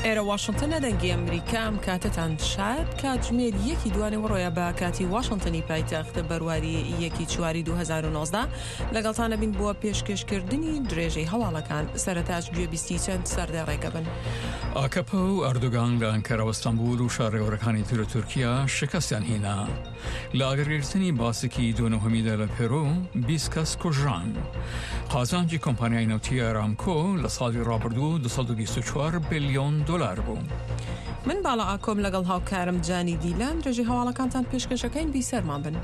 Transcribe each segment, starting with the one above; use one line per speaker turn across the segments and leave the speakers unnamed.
ئێرە واشنتنە دەنگی ئەمریکا ئەم کاتەتان شاد کاتژمێر یەکی دوانێوەڕۆیە بە کاتی واشنتنی پایتەخت بەرواری یەکی چواری 2019 لەگەڵتان ئەبین بۆ پێشکێشکردنی درێژەی هەواڵەکان سەرەتاش گوێبیستی چەند سەردێڕێکە بن.
ئاکەپە و ئەردۆگان لە ئەنکەرە و ئەستەنبول و شارە گەورەکانی تر تورکیا شکستیان هینا. لە ئاگرگرتنی باسێکی دوو نهۆمیدا لە پێرۆ 20 کەس کوژران. قازانجی کۆمپانیای نەوتی ئارامکۆ لە ساڵی ڕابردوو 224 بلیۆن دۆلار بوو.
من باڵا ئاکۆم لەگەڵ هاوکارم جانی دیلان درێژەی هەواڵەکانتان پێشکەشەکەین بیسەرمان بن.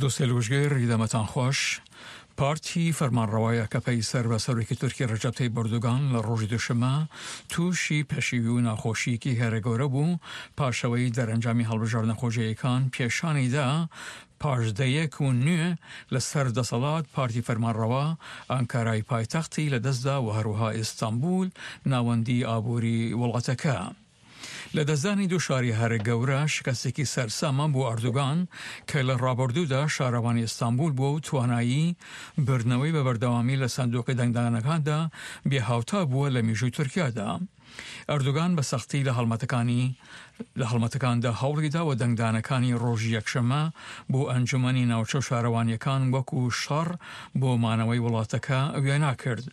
دۆستێ لوشگر دەمەتان خۆش. پارتی فەرمانڕەوای ئەکەپەی سەر بە سەرۆکی تورکی ڕەجەب تەیب ئەردۆگان لە ڕۆژی دوشەممە تووشی پەشیوی و ناخۆشییەکی هەرە گەورە بوو پاشەوەی دەرەنجامی هەڵبژاردنە خۆجێیەکان پێشانی دا پاش دەیەک و نوێ لە سەر دەسەڵات پارتی فەرمانڕەوا ئانکارای پایتەختی لە دەستدا و هەروەها ئیستانبول ناوەندی ئابووری وڵاتەکە. لەدەستدانی دوو شاری هەرە گەورە شکستێکی سەرسامە بۆ ئەردۆگان کە لە ڕابردوودا شارەوانی ئیستانبول بووە و توانایی بردنەوەی بە بەردەوامی لە سندوقی دەنگدانەکاندا بێهاوتا بووە لە میژووی تورکیادا. ئەردۆگان بە سەختی لە هەڵمەتەکانی لە هەڵمەتەکاندا هەوڵیدا و دەنگدانەکانی ڕۆژی یەکشەممە بۆ ئەنجومەنی ناوچە و شارەوانییەکان وەکو شەڕ بۆ مانەوەی وڵاتەکە وێنا کرد.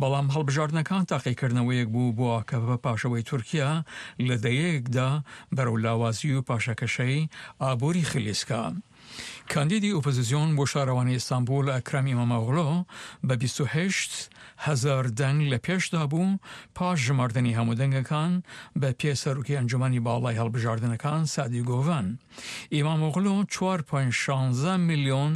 بەڵام هەڵبژاردنەکان تاقیکردنەوەیەک بوو بۆ ئاکەپە پاشەوەی تورکیا لە دەیەیەکدا بەرەو لاوازی و پاشەکەشەی ئابووری خلیسکا. کاندیدی ئۆپۆزیسیۆن بۆ شارەوانی ئیستانبوڵ ئەکرەم ئیمامئۆغلۆ بە 28 هەزار دەنگ لە پێشدا بوو پاش ژماردنی هەموو دەنگەکان بە پێ سەرۆکی ئەنجومەنی باڵای هەڵبژاردنەکان سەعدی گۆڤەن. ئیمامئۆغلۆ چوار پۆینت شانزە ملیۆن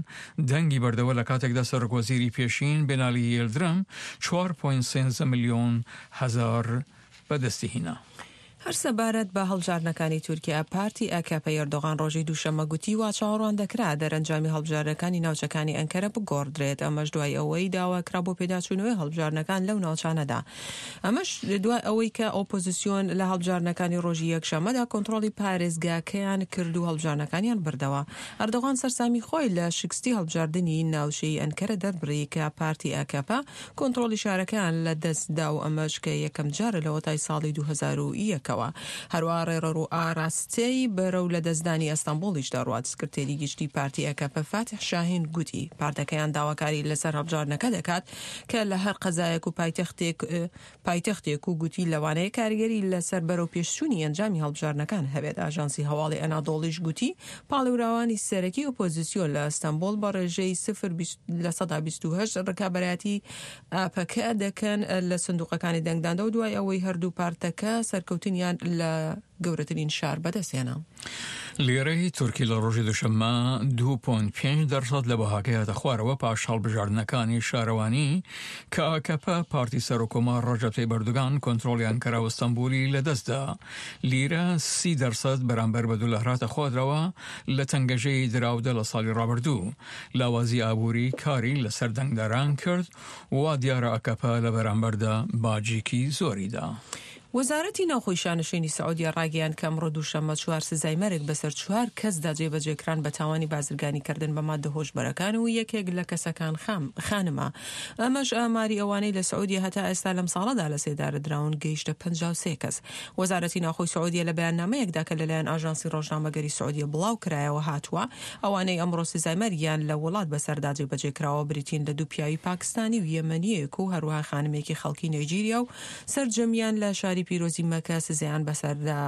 دەنگی بردەوە لە کاتێکدا سەرۆکوەزیری پێشین بنالی یلدرم چوار پۆینت سێنزە ملیۆن هەزار بەدەستی هینا.
هەر سەبارەت بە هەڵبژاردنەکانی تورکیا، پارتی ئاکەپەی ئەردۆغان ڕۆژی دووشەممە گوتی وا چاوەڕوان دەکرا دەرەنجامی هەڵبژاردنەکانی ناوچەکانی ئەنکەرە بگۆڕدرێت، ئەمەش دوای ئەوەی داواکرا بۆ پێداچوونەوەی هەڵبژاردنەکان لەو ناوچانەدا. ئەمەش دوای ئەوەی کە ئۆپۆزیسیۆن لە هەڵبژاردنەکانی ڕۆژی یەکشەممەدا کۆنترۆڵی پارێزگاکەیان کرد و هەڵبژاردنەکانیان بردەوە. ئەردۆغان سەرسامی خۆی لە شکستی هەڵبژاردنی ناوچەیی ئەنکەرە دەربڕی کە پارتی ئاکەپە کۆنترۆڵی شارەکەیان لە دەست دا و ئەمەش کە یەکەم جارە لەوەتای ساڵی 2001 ەوە. هەروەها ڕێڕەو و ئاراستەی بەرەو لەدەستدانی ئەستەنبوڵیش دەڕوات. سکرتێری گشتی پارتی ئەکەپە فاتیح شاهین گوتی پارتەکەیان داواکاری لەسەر هەڵبژاردنەکە دەکات کە لە هەر قەزایەک و پایتەختێک پایتەختێک و گوتی لەوانەیە کاریگەری لەسەر بەرەوپێشچوونی ئەنجامی هەڵبژاردنەکان هەبێت. ئاژانسی هەواڵی ئەنادۆڵیش گوتی پاڵێوراوانی سەرەکی ئۆپۆزیسیۆن لە ئەستەنبوڵ بە ڕێژەی سفر 28% ڕکابەرایەتی ئاپەکە دەکەن لە سندوقەکانی دەنگداندا و دوای ئەوەی هەردوو پارتەکە سەرکەوتنیان لە گەورەترین شار بەدەستهێنا.
لیرەی تورکی لە ڕۆژی دوشەممە 2.5 دەرسەد لە بەهاکەی هاتە خوارەوە پاش هەڵبژاردنەکانی شارەوانی کە ئاکەپە پارتی سەرۆککۆمار ڕەجەب تەیب ئەردۆگان کۆنترۆڵی ئەنکەرا و ئەستەنبولی لەدەستدا. لیرە 30 دەرسەد بەرامبەر بە دۆلار هاتە خوارەوە لە تەنگەژەی دراودا لە ساڵی ڕابردوو. لاوازی ئابووری کاری لەسەر دەنگدەران کرد و وا دیارە ئاکەپە لە بەرامبەردا باجێکی زۆری دا.
وەزارەتی ناوخۆی شانشینی سعودیە ڕایگەیاند کە ئەمڕۆ دووشەممە چوار سزای مەرگ بەسەر چوار کەسدا جێبەجێکران بە تاوانی بازرگانیکردن بە ماددە هۆشبەرەکان و یەکێک لە کەسەکان خانمە. ئەمەش ئاماری ئەوانەی لە سعودیە هەتا ئێستا لەم ساڵەدا لە سێدارە دراون گەیشتە 53 کەس. وەزارەتی ناوخۆی سعودیە لە بەیاننامەیەکدا کە لەلایەن ئاژانسی ڕۆژنامەگەری سعودیە بڵاوکرایەوە هاتووە، ئەوانەی ئەمڕۆ سزای مەرگیان لە وڵات بەسەردا جێبەجێکراوە بریتین لە دوو پیاوی پاکستانی و یەمەنییەک و هەروەها خانمێکی خەڵکی نەیجیریا و سەرجەمیان لە شاری پیرۆزی مەکە سزایان بەسەردا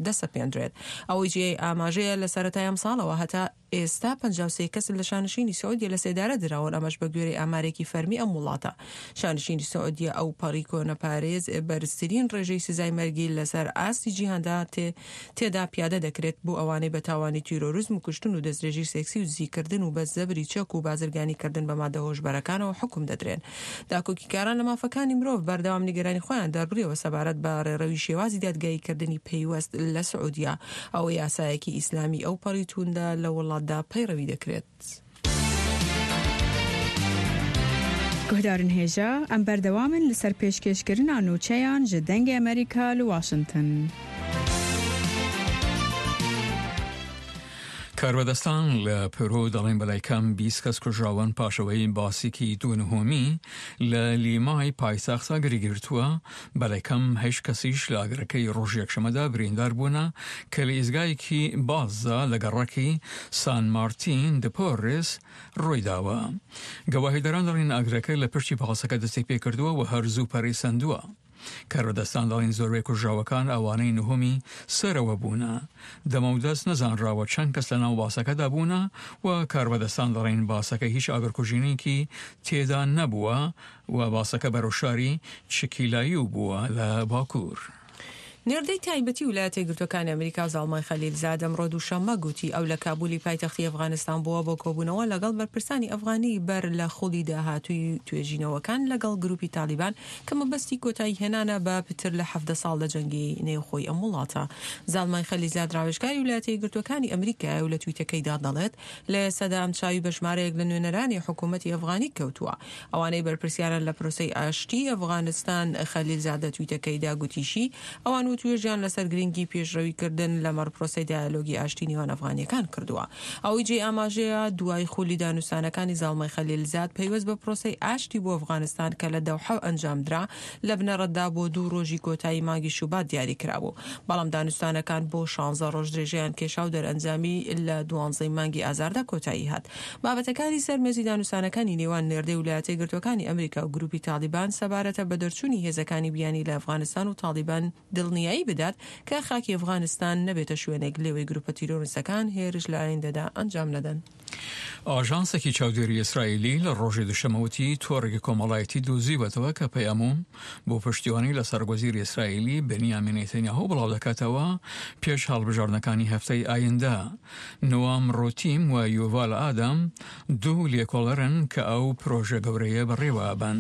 دەسەپێندرێت. ئەوەی جێی ئاماژەیە لە سەرەتای ئەمساڵەوە هەتا ئێستا 53 کەس لە شانشینی سعودیە لە سێدارە دراون، ئەمەش بە گوێرەی ئامارێکی فەرمی ئەم وڵاتە. شانشینی سعودیە ئەوپەڕی کۆنەپارێز بەرزترین ڕێژەی سزای مەرگی لەسەر ئاستی جیهاندا تێدا پیادە دەکرێت بۆ ئەوانەی بە تاوانی تیرۆریزم و کوشتن و دەستدرێژی سێکسی و دزیکردن و بە زەبری چەک و بازرگانیکردن بە مادە هۆشبەرەکانەوە حوکم دەدرێن. داکۆکیکاران لە مافەکانی مرۆڤ بەردەوام نیگەرانی خۆیان دەربڕیەوە سەبارەت بە ڕێڕەوی شێوازی دادگاییکردنی پەیوەست لە سعودیە، ئەوە یاسایەکی ئیسلامی ئەوپەڕی تووندە لە وڵاتدا پەیڕەوی دەکرێت.
گوهدارن هێژا، ئەم بەردەوامن لەسەر پێشکێشکردنا نوچەیان ژ دەنگێ ئەمریکا لە واشنتن.
کاربەدەستان لە پێرۆ دەڵێن بەلای کەم 20 کەس کوژراون پاشەوەی باسێکی دوو نهۆمی لە لیمای پایتەخت ئاگری گرتووە، بەلای کەم هەشت کەسیش لە ئاگرەکەی ڕۆژی یەکشەممەدا بریندار بوونە کە لە ئیزگایەکی باسدا لە گەڕەکی سان مارتین دە پۆرێس ڕوویداوە. گەواهیدەران دەڵێن ئاگرەکە لە پشتی پاسەکە دەستی پێکردووە و هەر زوو پەرەی سەندووە. کاربەدەستان دەڵێن زۆربەی کوژراوەکان ئەوانەی نهۆمی سەرەوە بوونە. دەمەودەست نەزانراوە چەند کەس لەناو باسەکەدا بوونە و کاربەدەستان دەڵێن باسەکە هیچ ئاگرکوژینێکی تێدا نەبووە و باسەکە بەرەو شاری چکیلایو بووە لە باکوور.
نێردەی تایبەتی ولایەتە یەکگرتووەکانی ئەمریکا زاڵمای خەلیلزاد ئەمڕۆ دووشەممە گوتی ئەو لە کابولی پایتەختی ئەفغانستان بووە بۆ کۆبوونەوە لەگەڵ بەرپرسانی ئەفغانی بەر لە خولی داهاتووی توێژینەوەکان لەگەڵ گروپی تالیبان کە مەبەستی کۆتایی هێنانە بە پتر لە 17 ساڵ لە جەنگی نێوخۆی ئەم وڵاتە. زاڵمای خەلیلزاد ڕاوێژکاری ولایەتە یەکگرتووەکانی ئەمریکایە و لە تویتەکەیدا دەڵێت لە ئێستادا ئەم چاوی بە ژمارەیەک لە نوێنەرانی حکوومەتی ئەفغانی کەوتووە ئەوانەی بەرپرسیارن لە پرۆسەی ئاشتیی ئەفغانستان، خەلیل زادە تویتەکەیدا گوتیشی، ئەوان وتوێژیان لەسەر گرنگی پێشڕەوی کردن لەمەڕ پرۆسەی دایالۆگی ئاشتی نێوان ئەفغانییەکان کردووە. ئەوەی جێی ئاماژەیە، دوای خولی دانوستانەکانی زاڵمای خەلیل زاد پەیوەست بە پرۆسەی ئاشتی بۆ ئەفغانستان کە لە دەوحە ئەنجامدرا، لە بنەڕەتدا بۆ دوو ڕۆژی کۆتایی مانگی شوبات دیاری کرابوو، بەڵام دانوستانەکان بۆ شانزە ڕۆژ درێژەیان کێشا و دەرئەنجامی لە دوانزەی مانگی ئازاردا کۆتایی هات. بابەتەکانی سەر مێزی دانوستانەکانی نێوان نێردەی ولایەتە یەکگرتووەکانی ئەمریکا و گروپی تاڵیبان سەبارەتە بە دەرچوونی هێزەکانی بیانی لە ئەفغانستان و تاڵیبان دڵنیایی بدات کە خاکی ئەفغانستان نەبێتە شوێنێک لێوەی گروپە تیرۆرستەکان هێرش لە ئایندەدا ئەنجام نەدەن.
ئاژانسێکی چاودێری ئیسرائیلی لە ڕۆژی دوشەممە وتی تۆڕێکی کۆمەڵایەتی دۆزیوەتەوە کە پەیام و بۆ پشتیوانی لە سەرۆکوەزیری ئیسرائیلی بنیامین نێتەنیاهۆ بڵاودەکاتەوە پێش هەڵبژاردنەکانی هەفتەی ئایندە. نوام ڕۆتیم و یوڤال ئادەم دوو لێکۆڵەرن کە ئەو پرۆژە گەورەیە بەڕێوە ئەبەن.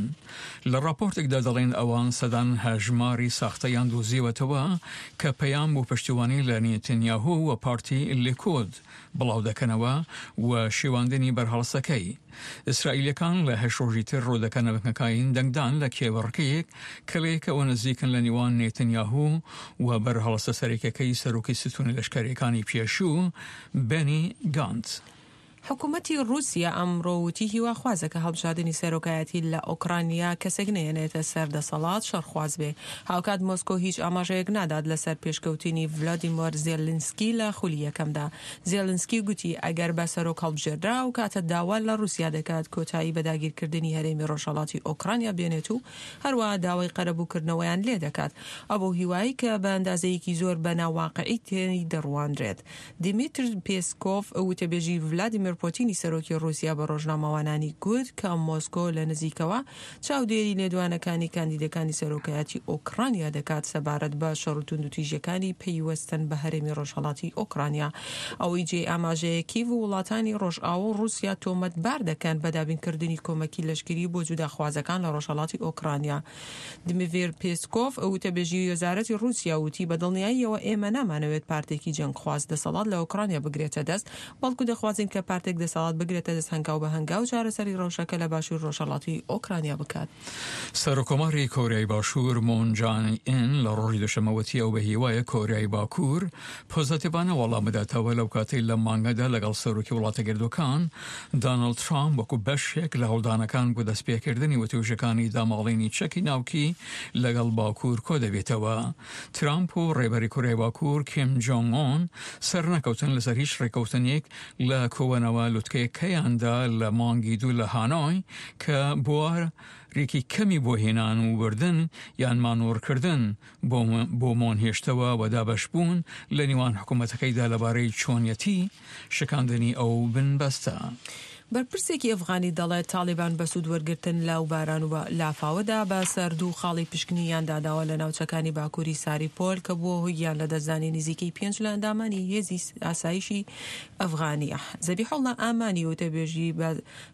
لە ڕاپۆرتێکدا دەڵێن ئەوان سەدان هەژماری ساختەیان دۆزیوەتەوە کە پەیام بۆ پشتیوانی لە نێتەنیاهۆ و پارتی لیکۆد بڵاودەکەنەوە و شێواندنی بەرهەڵستەکەی. ئیسرائیلیەکان لە هەشت ڕۆژی تر ڕوودەکەنە بنکەکاین دەنگدان لە کێبڕکێیەک کە لەیەکەوە نزیکن لە نێوان نێتنیاهو و بەرهەڵستە سەرەکیەکەی سەرۆکی ستونی لەشکەریەکانی پێشوو بێنی گانتز.
حکومەتی ڕووسیا ئەمڕۆ وتی هیواخوازە کە هەڵبژاردنی سەرۆکایەتی لە ئۆکرانیا کەسێک نەهێنێتە سەر دەسەڵات شەڕخواز بێ. هاوکات مۆسکۆ هیچ ئاماژەیەک نادات لەسەر پێشکەوتنی ڤلادیمۆر زێلنسکی لە خولی یەکەمدا. زێلنسکی گوتی ئەگەر بە سەرۆک هەڵبژێردرا ئەوکاتە داوا لە ڕووسیا دەکات کۆتایی بە داگیرکردنی هەرێمی ڕۆژهەڵاتی ئۆکرانیا بێنێت و هەروەها داوای قەرەبووکردنەوەیان لێدەکات. ئەو بەو هیوایەی کە بە ئەندازەیەکی زۆر بە ناواقعی تێی دەڕوانرێت. دیمیتر پێسکۆڤ، وتەبێژی ڤلادیمێر پۆتینی سەرۆکی ڕووسیا بە ڕۆژنامەوانانی گوت کە مۆسکۆ لە نزیکەوە چاودێری لێدوانەکانی کاندیدەکانی سەرۆکایەتی ئۆکرانیا دەکات سەبارەت بە شەڕ و توندوتیژیەکانی پەیوەستن بە هەرێمی ڕۆژهەڵاتی ئۆکرانیا. ئەوەی جێی ئاماژەیە کیڤ و وڵاتانی ڕۆژئاوا و ڕووسیا تۆمەتبار دەکەن بە دابینکردنی کۆمەکی لەشکری بۆ جوداخوازەکان لە ڕۆژهەڵاتی ئۆکرانیا. دمیتر پێسکۆڤ، وتەبێژی وەزارەتی ڕووسیا وتی، بە دڵنیاییەوە ئێمە نامانەوێت پارتێکی جەنگخواز دەسەڵات لە ئۆکرانیا بگرێتە دەست، بەڵکو دەخوازین کە پارتێک دەسەڵات بگرێتە دەست هەنگاو بە هەنگاو چارەسەری ڕەوشەکە لە باشووری ڕۆژهەڵاتی ئۆکرانیا بکات.
سەرۆککۆماری کۆریای باشوور مۆن جان ئین لە ڕۆژی دووشەممە وتی ئەو بە هیوایە کۆریای باکوور پۆزەتیڤانە وەڵام بداتەوە لەو کاتەی لەم مانگەدا لەگەڵ سەرۆکی وڵاتەیەکگرتووەکان دانڵد ترامپ وەکو بەشێک لە هەوڵدانەکان بۆ دەستپێکردنی وتووێژەکانی داماڵینی چەکی ناوکی لەگەڵ باکوور کۆدەبێتەوە. ترامپ و ڕێبەری کۆریای باکوور کیم جۆنگ ئۆن سەرنەکەوتن لەسەر هیچ ڕێککەوتنێک لە کۆبوونەوە لوتکەیەکەیاندا لە مانگی دوو لە هانۆی کە بوارێکی کەمی بۆ هێنان و بردن یان مانۆڕکردن بۆ مۆن هێشتەوە و دابەشبوون لە نێوان حکوومەتەکەیدا لەبارەی چۆنیەتی شکاندنی ئەو بنبەستە.
بەرپرسێکی ئەفغانی دەڵێت تاڵیبان بە سوود وەرگرتن لەو باران و لافاوەدا بە سەر دوو خاڵی پشکنینیان داداوە لە ناوچەکانی باکووری ساریپۆل کە بووە هۆی گیانلەدەستدانی نزیکەی پێنج لە ئەندامانی هێزی ئاسایشی ئەفغانی. زەبیحوڵڵا ئامانی وتەبێژی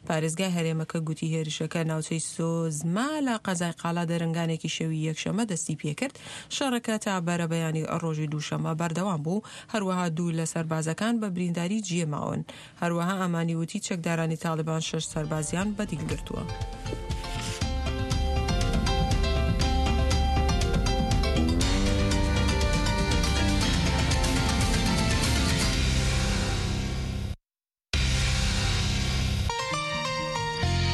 پارێزگای هەرێمەکە گوتی هێرشەکە ناوچەی سۆزما لە قەزای قالا دەرنگانێکی شەوی یەکشەممە دەستی پێکرد. شەڕەکە تا بەرەبەیانی ڕۆژی دووشەممە بەردەوام بوو. هەروەها دوو لە سەربازەکان بە برینداری جێماون. هەروەها ئامانی وتی چەکدارانی تاڵیبان شەش سەربازیان بە دیل گرتووە.